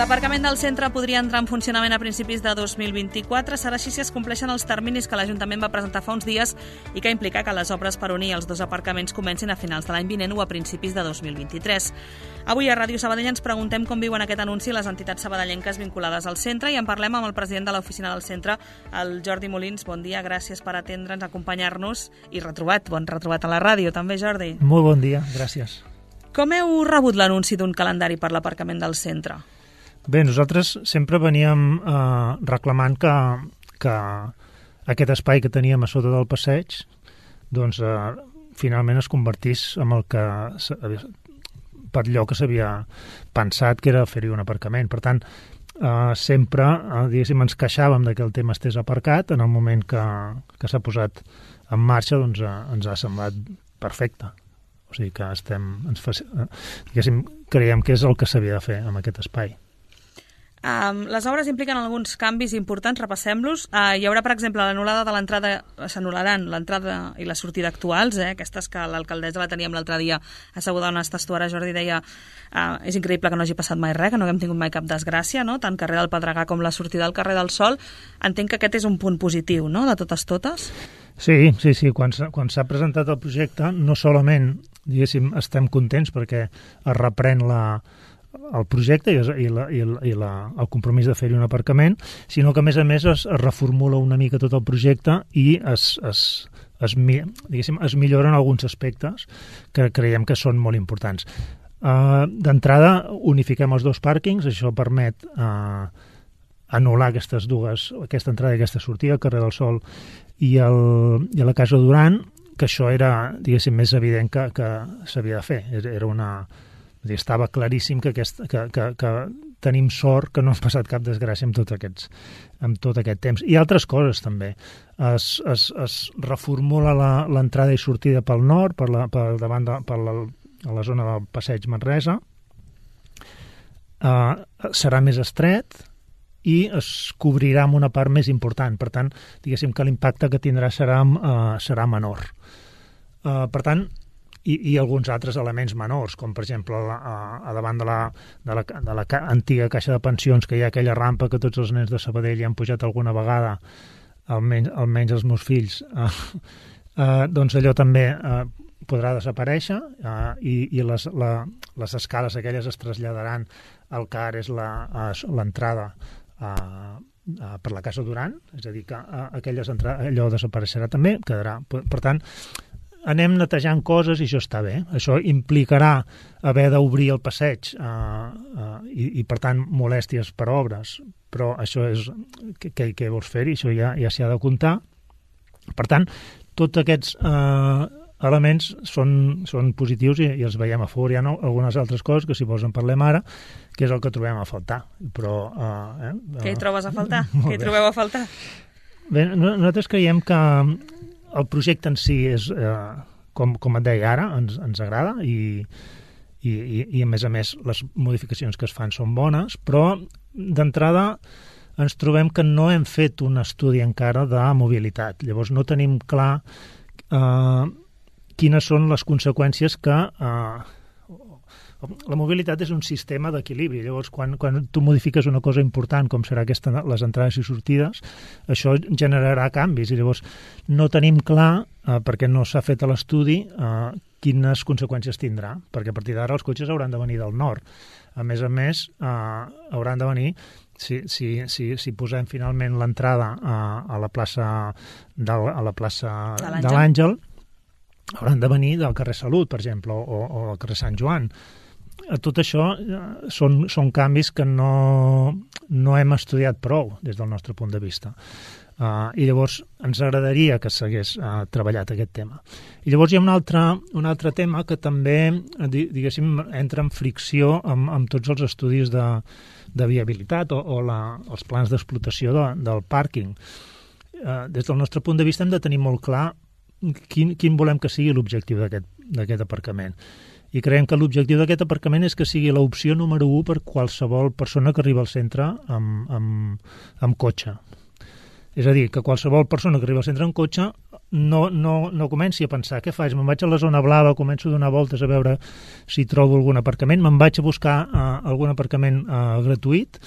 L'aparcament del centre podria entrar en funcionament a principis de 2024. Serà així si es compleixen els terminis que l'Ajuntament va presentar fa uns dies i que implica que les obres per unir els dos aparcaments comencin a finals de l'any vinent o a principis de 2023. Avui a Ràdio Sabadell ens preguntem com viuen aquest anunci les entitats sabadellenques vinculades al centre i en parlem amb el president de l'oficina del centre, el Jordi Molins. Bon dia, gràcies per atendre'ns, acompanyar-nos i bon retrobat a la ràdio també, Jordi. Molt bon dia, gràcies. Com heu rebut l'anunci d'un calendari per l'aparcament del centre? Bé, nosaltres sempre veníem reclamant que aquest espai que teníem a sota del passeig doncs finalment es convertís en el que per allò que s'havia pensat que era fer-hi un aparcament. Per tant, sempre diguéssim, ens queixàvem que el tema estés aparcat. En el moment que s'ha posat en marxa doncs, ens ha semblat perfecte. O sigui que creiem que és el que s'havia de fer amb aquest espai. Les obres impliquen alguns canvis importants, repassem-los. Hi haurà, per exemple, l'anul·lada de l'entrada, s'anul·laran l'entrada i la sortida actuals, aquestes que l'alcaldessa la teníem l'altre dia asseguda on està estuara. Jordi deia és increïble que no hagi passat mai res, que no haguem tingut mai cap desgràcia, no? Tant carrer del Pedregà com la sortida al carrer del Sol. Entenc que aquest és un punt positiu, no?, de totes. Sí. Quan s'ha presentat el projecte, no solament, diguéssim, estem contents perquè es reprèn el projecte i el compromís de fer-hi un aparcament, sinó que, a més, es reformula una mica tot el projecte i es milloren alguns aspectes que creiem que són molt importants. D'entrada, unifiquem els dos pàrquings, això permet anul·lar aquesta entrada i aquesta sortida, al carrer del Sol i a la Casa Duran, que això era, diguéssim, més evident que s'havia de fer. Estava claríssim que tenim sort que no ha passat cap desgràcia amb tot aquest temps. I altres coses també. Es reformula l'entrada i sortida pel nord, per la zona del passeig Manresa. Serà més estret i es cobrirà amb una part més important. Per tant, diguéssim que l'impacte que tindrà serà menor. Per tant, i alguns altres elements menors, com per exemple a davant de la antiga caixa de pensions, que hi ha aquella rampa que tots els nens de Sabadell hi han pujat alguna vegada, almenys els meus fills, doncs allò també podrà desaparèixer i les escales aquelles es traslladaran al que ara és l'entrada per la Casa Duran, és a dir, que allò desapareixerà també, quedarà. Per tant, anem netejant coses i això està bé. Això implicarà haver d'obrir el passeig i per tant, molèsties per obres, però això és què vols fer-hi, això ja s'hi ha de comptar. Per tant, tots aquests elements són positius i els veiem a favor. Hi ha algunes altres coses que, si vols, en parlem ara, que és el que trobem a faltar. Però, què hi trobes a faltar? Què hi trobeu a faltar? Bé, nosaltres creiem que el projecte en si és, com et deia ara, ens agrada i a més, les modificacions que es fan són bones, però d'entrada ens trobem que no hem fet un estudi encara de mobilitat. Llavors no tenim clar quines són les conseqüències que... La mobilitat és un sistema d'equilibri. Llavors, quan tu modifiques una cosa important, com serà les entrades i sortides, això generarà canvis. I llavors no tenim clar, perquè no s'ha fet l'estudi, quines conseqüències tindrà. Perquè a partir d'ara els cotxes hauran de venir del nord. A més, hauran de venir, si posem finalment l'entrada a la plaça de l'Àngel, hauran de venir del carrer Salut, per exemple, o del carrer Sant Joan. Tot això són canvis que no hem estudiat prou des del nostre punt de vista. I llavors ens agradaria que s'hagués treballat aquest tema. I llavors hi ha un altre tema que també, diguéssim, entra en fricció amb tots els estudis de viabilitat o els plans d'explotació del pàrquing. Des del nostre punt de vista hem de tenir molt clar quin volem que sigui l'objectiu d'aquest aparcament. I creiem que l'objectiu d'aquest aparcament és que sigui l'opció número 1 per qualsevol persona que arriba al centre amb cotxe. És a dir, que qualsevol persona que arriba al centre amb cotxe no comenci a pensar què faig, me'n vaig a la zona blava, començo a donar voltes a veure si trobo algun aparcament, me'n vaig a buscar algun aparcament gratuït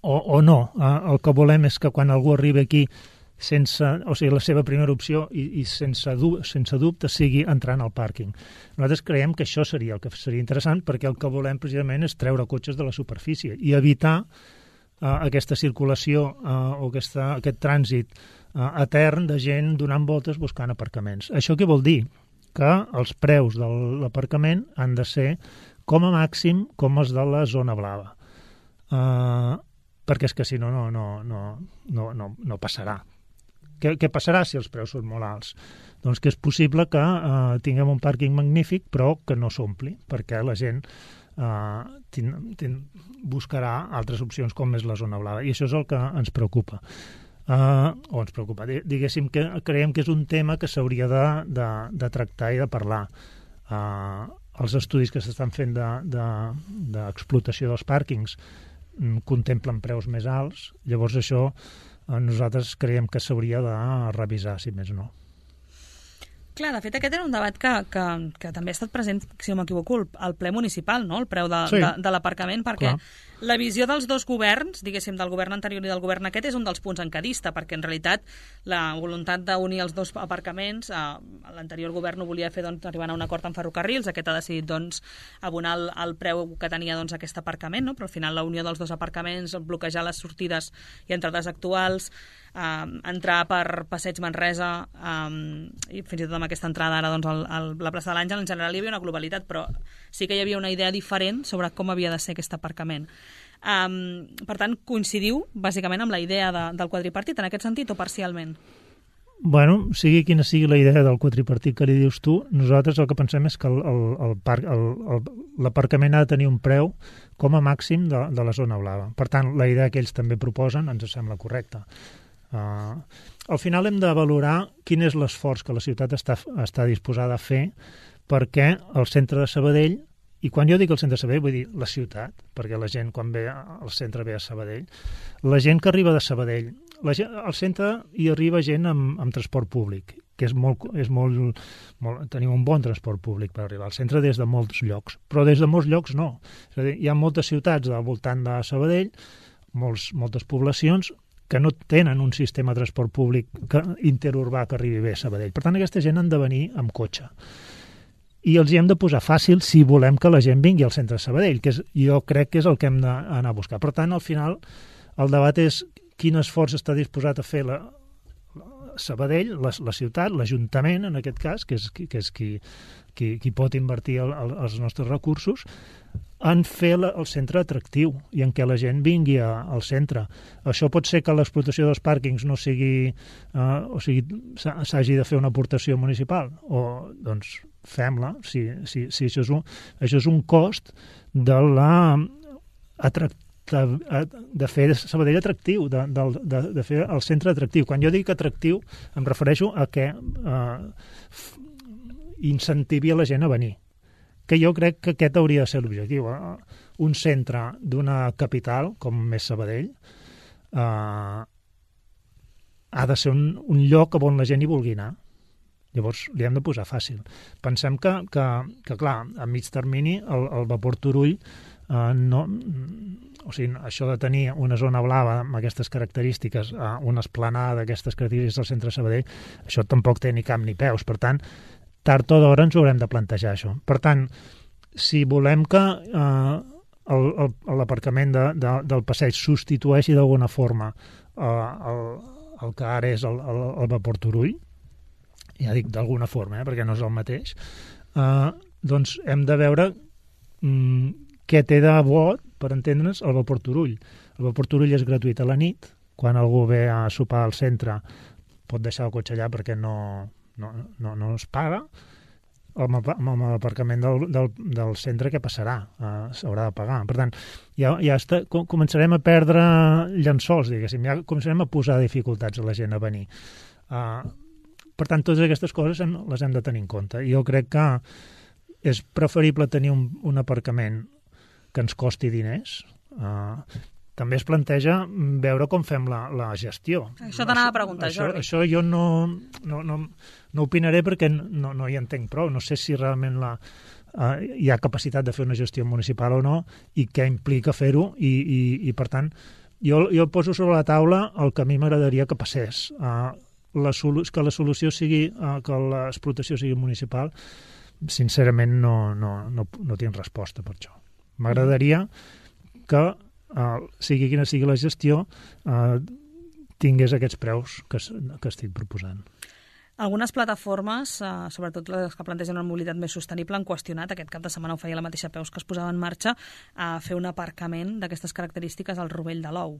o no. El que volem és que quan algú arribi aquí la seva primera opció i sense dubte sigui entrant al pàrquing. Nosaltres creiem que això seria el que seria interessant, perquè el que volem precisament és treure cotxes de la superfície i evitar aquesta circulació o aquest trànsit etern de gent donant voltes buscant aparcaments. Això què vol dir? Que els preus de l'aparcament han de ser com a màxim com els de la zona blava. Perquè és que si no passarà. Què passarà si els preus són molt alts? Doncs que és possible que tinguem un pàrquing magnífic però que no s'ompli, perquè la gent buscarà altres opcions com és la zona blava, i això és el que ens preocupa. Diguéssim que creiem que és un tema que s'hauria de tractar i de parlar. Els estudis que s'estan fent d'explotació dels pàrquings contemplen preus més alts, llavors això nosaltres creiem que s'hauria de revisar, si més no. Clar, de fet, aquest era un debat que també ha estat present, si no m'equivoco, al ple municipal, no?, el preu de l'aparcament, perquè la visió dels dos governs, diguéssim, del govern anterior i del govern aquest, és un dels punts en què dista, perquè en realitat la voluntat d'unir els dos aparcaments, l'anterior govern ho volia fer arribant a un acord amb ferrocarrils, aquest ha decidit abonar el preu que tenia aquest aparcament, no? Però al final la unió dels dos aparcaments, bloquejar les sortides i entrades actuals, entrar per Passeig Manresa i fins i tot amb aquesta entrada ara la plaça de l'Àngel, en general hi havia una globalitat, però sí que hi havia una idea diferent sobre com havia de ser aquest aparcament. Per tant, coincidiu bàsicament amb la idea del quadripartit en aquest sentit o parcialment? Bueno, sigui quina sigui la idea del quadripartit que li dius tu, nosaltres el que pensem és que l'aparcament ha de tenir un preu com a màxim de la zona blava. Per tant, la idea que ells també proposen ens sembla correcta. Al final hem de valorar quin és l'esforç que la ciutat està disposada a fer perquè el centre de Sabadell, i quan jo dic el centre de Sabadell vull dir la ciutat, perquè la gent quan ve al centre ve a Sabadell, la gent que arriba de Sabadell, al centre hi arriba gent amb transport públic, que tenim un bon transport públic per arribar al centre des de molts llocs, però des de molts llocs no. És a dir, hi ha moltes ciutats al voltant de Sabadell, moltes poblacions que no tenen un sistema de transport públic interurbà que arribi bé a Sabadell. Per tant, aquesta gent han de venir amb cotxe. I els hi hem de posar fàcil si volem que la gent vingui al centre de Sabadell, que jo crec que és el que hem d'anar a buscar. Per tant, al final, el debat és quin esforç està disposat a fer Sabadell, la ciutat, l'Ajuntament, en aquest cas, que és qui pot invertir els nostres recursos, en fer el centre atractiu i en què la gent vingui al centre. Això pot ser que l'explotació dels pàrquings no sigui... s'hagi de fer una aportació municipal. O, doncs, fem-la. Si això és un cost de fer Sabadell atractiu, de fer el centre atractiu. Quan jo dic atractiu, em refereixo a que incentivi a la gent a venir. Que jo crec que aquest hauria de ser l'objectiu. Un centre d'una capital, com és Sabadell, ha de ser un lloc on la gent hi vulgui anar. Llavors, li hem de posar fàcil. Pensem que clar, a mig termini, el vapor Turull, això de tenir una zona blava amb aquestes característiques, una esplanada d'aquestes característiques al centre de Sabadell, això tampoc té ni cap ni peus. Per tant, tard o d'hora ens haurem de plantejar això. Per tant, si volem que l'aparcament del passeig substitueixi d'alguna forma el que ara és el vapor Turull, ja dic d'alguna forma, perquè no és el mateix, doncs hem de veure què té de bo, per entendre'ns, el vapor Turull. El vapor Turull és gratuït a la nit, quan algú ve a sopar al centre pot deixar el cotxe allà perquè no es paga. Amb l'aparcament del centre què passarà? S'haurà de pagar. Per tant, ja començarem a perdre llençols, diguéssim, ja començarem a posar dificultats a la gent a venir. Per tant, totes aquestes coses les hem de tenir en compte. I jo crec que és preferible tenir un aparcament que ens costi diners, també es planteja veure com fem la gestió. Això t'anava a preguntar, Jordi. Això jo no opinaré perquè no hi entenc prou. No sé si realment hi ha capacitat de fer una gestió municipal o no i què implica fer-ho i per tant, jo poso sobre la taula el que a mi m'agradaria que passés. Que la solució sigui que l'explotació sigui municipal, sincerament no tinc resposta per això. M'agradaria que, sigui quina sigui la gestió, tingués aquests preus que estic proposant. Algunes plataformes, sobretot les que plantegen una mobilitat més sostenible, han qüestionat, aquest cap de setmana ho feia la mateixa Peus, que es posava en marxa a fer un aparcament d'aquestes característiques al Rovell de l'Ou.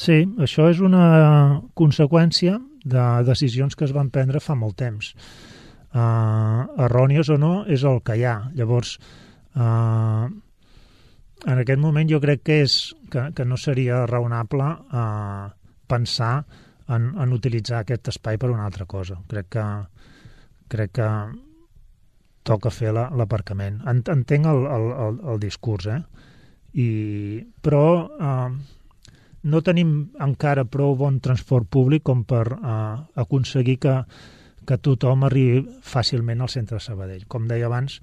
Sí, això és una conseqüència de decisions que es van prendre fa molt temps. Errònies o no, és el que hi ha. Llavors, en aquest moment jo crec que no seria raonable pensar en utilitzar aquest espai per una altra cosa. Crec que toca fer l'aparcament. Entenc el discurs, però no tenim encara prou bon transport públic com per aconseguir que tothom arribi fàcilment al centre de Sabadell. Com deia abans,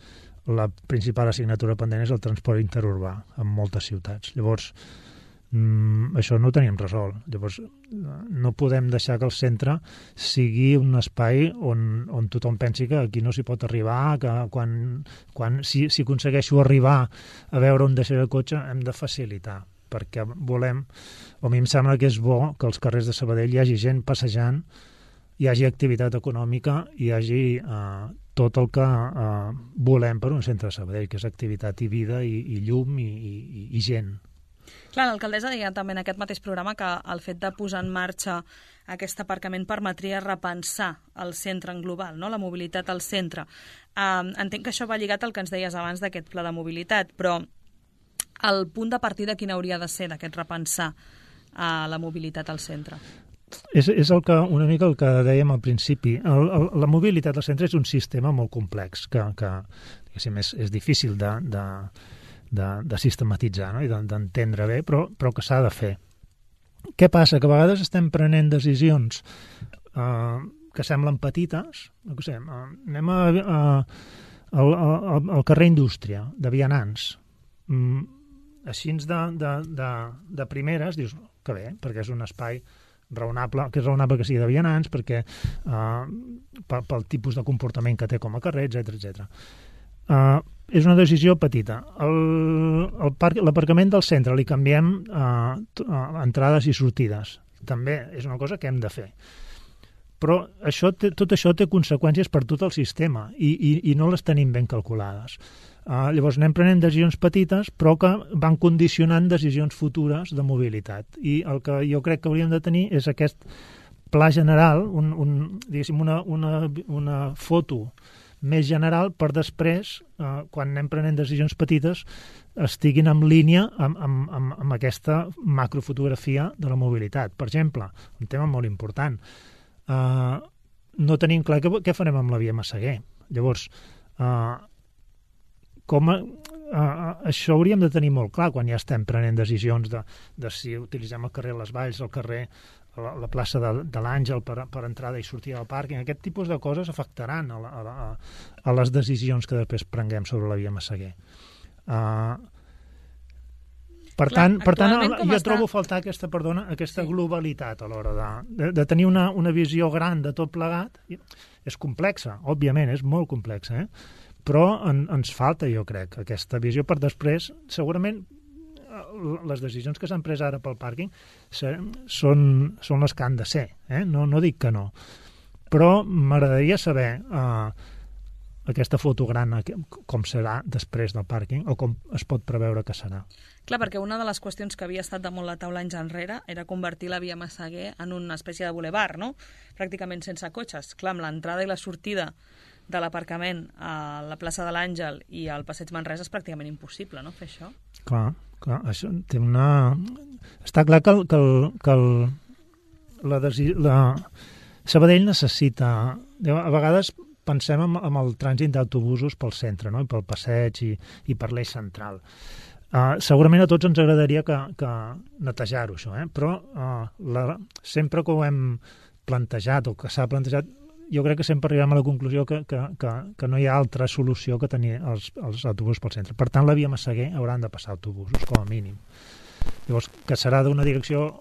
la principal assignatura pendent és el transport interurbà en moltes ciutats. Llavors, això no ho tenim resolt. Llavors, no podem deixar que el centre sigui un espai on tothom pensi que aquí no s'hi pot arribar, que si aconsegueixo arribar a veure on deixar el cotxe hem de facilitar, perquè volem, o a mi em sembla que és bo que als carrers de Sabadell hi hagi gent passejant, hi hagi activitat econòmica, hi hagi tot el que volem per un centre de Sabadell, que és activitat i vida i llum i gent. Clar, l'alcaldessa deia també en aquest mateix programa que el fet de posar en marxa aquest aparcament permetria repensar el centre en global, no? La mobilitat al centre. Entenc que això va lligat al que ens deies abans d'aquest pla de mobilitat, però el punt de partida quin hauria de ser d'aquest repensar la mobilitat al centre? És una mica el que dèiem al principi. La mobilitat al centre és un sistema molt complex que és difícil de sistematitzar, no? I d'entendre bé, però que s'ha de fer. Què passa? Que a vegades estem prenent decisions que semblen petites. No sé, anem al carrer Indústria, de vianants. Així de primeres dius que bé, perquè és un espai raonable, que és raonable que sigui de vianants, perquè pel tipus de comportament que té com a carrer, etc. És una decisió petita. L'aparcament del centre li canviem entrades i sortides. També és una cosa que hem de fer. Però tot això té conseqüències per tot el sistema i no les tenim ben calculades. Llavors anem prenent decisions petites però que van condicionant decisions futures de mobilitat. I el que jo crec que hauríem de tenir és aquest pla general, diguéssim, una foto més general per després, quan anem prenent decisions petites, estiguin en línia amb aquesta macrofotografia de la mobilitat. Per exemple, un tema molt important, no tenim clar què farem amb la via Massaguer. Llavors, això hauríem de tenir molt clar quan ja estem prenent decisions de si utilitzem el carrer Les Valls, el carrer, la plaça de l'Àngel per entrada i sortida del pàrquing. Aquest tipus de coses afectaran a les decisions que després prenguem sobre la via Massaguer. Per tant, jo trobo a faltar aquesta globalitat a l'hora de tenir una visió gran de tot plegat. És complexa, òbviament, és molt complexa, però ens falta, jo crec, aquesta visió per després, segurament, les decisions que s'han pres ara pel pàrquing són les que han de ser, no dic que no. Però m'agradaria saber aquesta foto gran com serà després del pàrquing o com es pot preveure que serà. Clar, perquè una de les qüestions que havia estat damunt la taula anys enrere era convertir la via Massaguer en una espècie de bulevard, no? Pràcticament sense cotxes. Clar, amb l'entrada i la sortida de l'aparcament a la plaça de l'Àngel i al passeig Manresa és pràcticament impossible, no?, fer això. Clar, això té una... Està clar que Sabadell necessita... A vegades pensem en el trànsit d'autobusos pel centre, no?, i pel passeig i per l'eix central. Segurament a tots ens agradaria que netejar-ho, això, però sempre que ho hem plantejat o que s'ha plantejat, jo crec que sempre arribem a la conclusió que no hi ha altra solució que tenir els autobusos pel centre. Per tant, la via Massaguer hauran de passar autobusos, com a mínim. Llavors, que serà d'una direcció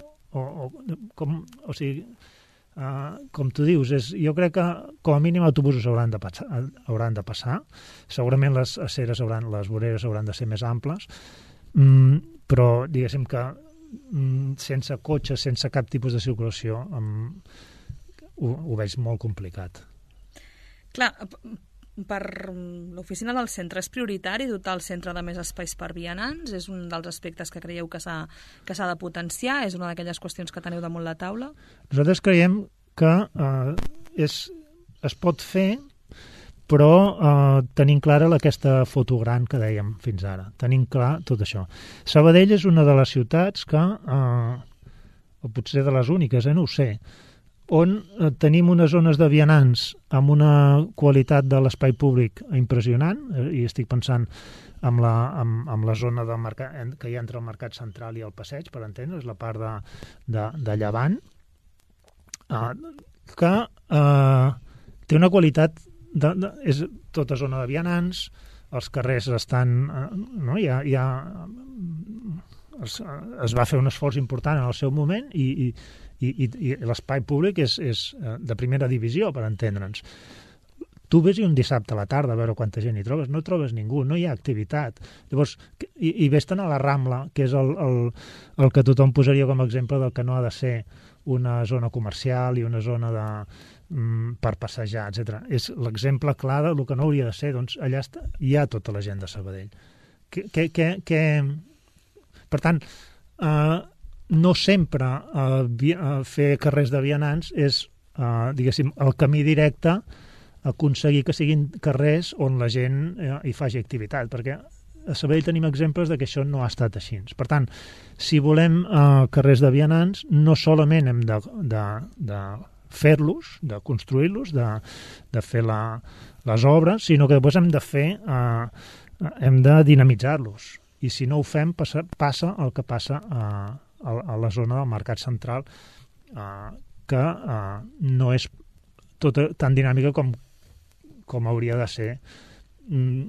com tu dius, jo crec que com a mínim autobusos hauran de passar. Segurament les voreres hauran de ser més amples, però diguéssim que sense cotxes, sense cap tipus de circulació, ho veig molt complicat. Clar, per l'oficina del centre és prioritari dotar el centre de més espais per vianants? És un dels aspectes que creieu que s'ha de potenciar? És una d'aquelles qüestions que teniu damunt la taula? Nosaltres creiem que es pot fer, però tenim clara aquesta foto gran que dèiem fins ara. Tenim clar tot això. Sabadell és una de les ciutats que, o potser de les úniques, no ho sé, on tenim unes zones de vianants amb una qualitat de l'espai públic impressionant, i estic pensant amb la zona del mercat, que hi ha entre el Mercat Central i el Passeig, per entendre's, la part de llevant, que té una qualitat, és tota zona de vianants, els carrers estan... es va fer un esforç important en el seu moment i l'espai públic és de primera divisió, per entendre'ns. Tu ves un dissabte a la tarda a veure quanta gent hi trobes, no trobes ningú, no hi ha activitat. Llavors, i ves-te'n a la Rambla, que és el que tothom posaria com a exemple del que no ha de ser una zona comercial i una zona per passejar, etc. És l'exemple clar del que no hauria de ser. Doncs allà hi ha tota la gent de Sabadell. Per tant, no sempre fer carrers de vianants és, diguéssim, el camí directe a aconseguir que siguin carrers on la gent hi faci activitat, perquè a Sabadell tenim exemples de que això no ha estat així. Per tant, si volem carrers de vianants, no solament hem de fer-los, de construir-los, de fer les obres, sinó que després hem de dinamitzar-los. I si no ho fem, passa el que passa a la zona del Mercat Central, que no és tota tan dinàmica com hauria de ser,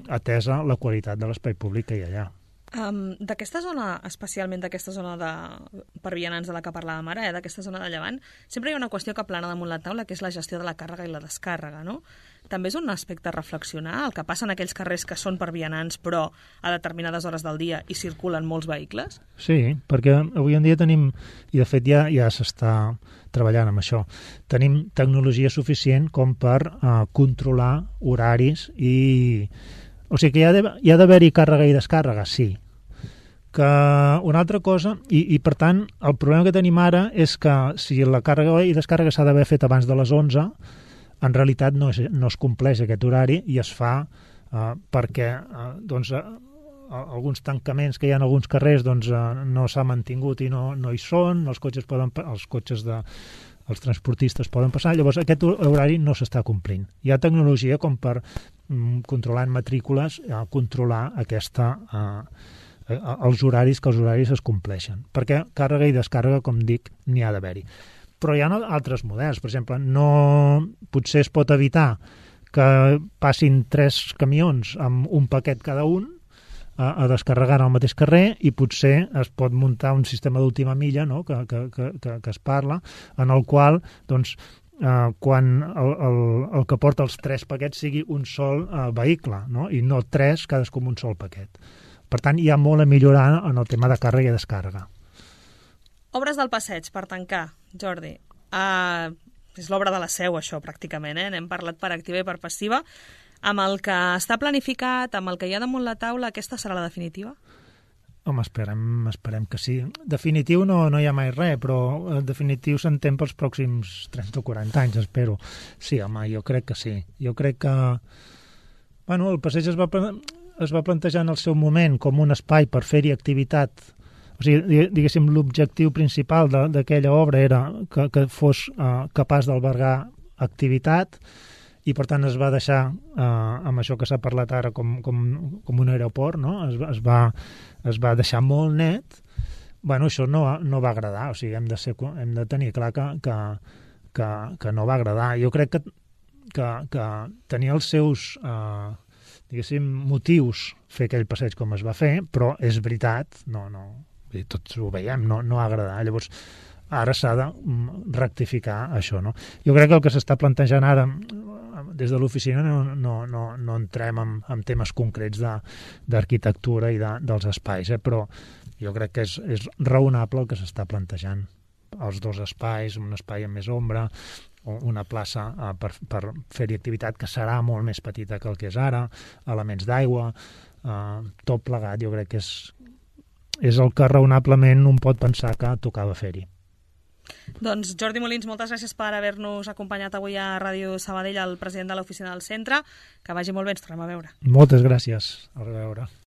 atesa la qualitat de l'espai públic que hi ha allà. D'aquesta zona, especialment d'aquesta zona per vianants de la que parlàvem ara, d'aquesta zona de Llevant, sempre hi ha una qüestió que plana damunt la taula, que és la gestió de la càrrega i la descàrrega, no? També és un aspecte a reflexionar, el que passa en aquells carrers que són per vianants, però a determinades hores del dia hi circulen molts vehicles? Sí, perquè avui en dia tenim, i de fet ja s'està treballant amb això, tenim tecnologia suficient com per controlar horaris i... O sigui que hi ha d'haver-hi càrrega i descàrrega, sí. Que una altra cosa, i per tant, el problema que tenim ara és que si la càrrega i descàrrega s'ha d'haver fet abans de les 11, en realitat no es compleix aquest horari i es fa perquè alguns tancaments que hi ha en alguns carrers no s'ha mantingut i no hi són, els transportistes poden passar, llavors aquest horari no s'està complint. Hi ha tecnologia com per controlant matrícules, controlar els horaris, que els horaris es compleixen. Perquè càrrega i descàrrega, com dic, n'hi ha d'haver-hi. Però hi ha altres models. Per exemple, potser es pot evitar que passin 3 camions amb un paquet cada un a descarregar en el mateix carrer i potser es pot muntar un sistema d'última milla, no?, que es parla, en el qual quan el que porta els 3 paquets sigui un sol vehicle, no?, i no 3 cadascú amb un sol paquet. Per tant, hi ha molt a millorar en el tema de càrrega i descàrrega. Obres del passeig, per tancar, Jordi. És l'obra de la Seu, això, pràcticament, N'hem parlat per activa i per passiva. Amb el que està planificat, amb el que hi ha damunt la taula, aquesta serà la definitiva? Home, esperem que sí. Definitiu no hi ha mai res, però definitiu s'entén pels pròxims 30 o 40 anys, espero. Sí, home, jo crec que sí. Jo crec que... Bueno, el passeig es va plantejar en el seu moment com un espai per fer-hi activitat. O sigui, diguéssim, l'objectiu principal d'aquella obra era que fos capaç d'albergar activitat i per tant es va deixar amb això que s'ha parlat ara com un aeroport, no? Es va deixar molt net. Bueno, això no va agradar, o sigui, hem de tenir clar que no va agradar. Jo crec que tenia els seus diguéssim, motius fer aquell passeig com es va fer, però és veritat, tots ho veiem, no agradar. Llavors, ara s'ha de rectificar això, no? Jo crec que el que s'està plantejant ara des de l'oficina no entrem en temes concrets d'arquitectura i dels espais, però jo crec que és raonable el que s'està plantejant. Els dos espais, un espai amb més ombra, una plaça per fer-hi activitat que serà molt més petita que el que és ara, elements d'aigua, tot plegat, jo crec que és el que raonablement un pot pensar que tocava fer-hi. Doncs Jordi Molins, moltes gràcies per haver-nos acompanyat avui a Ràdio Sabadell, el president de l'oficina del centre. Que vagi molt bé, ens tornem a veure. Moltes gràcies, a reveure.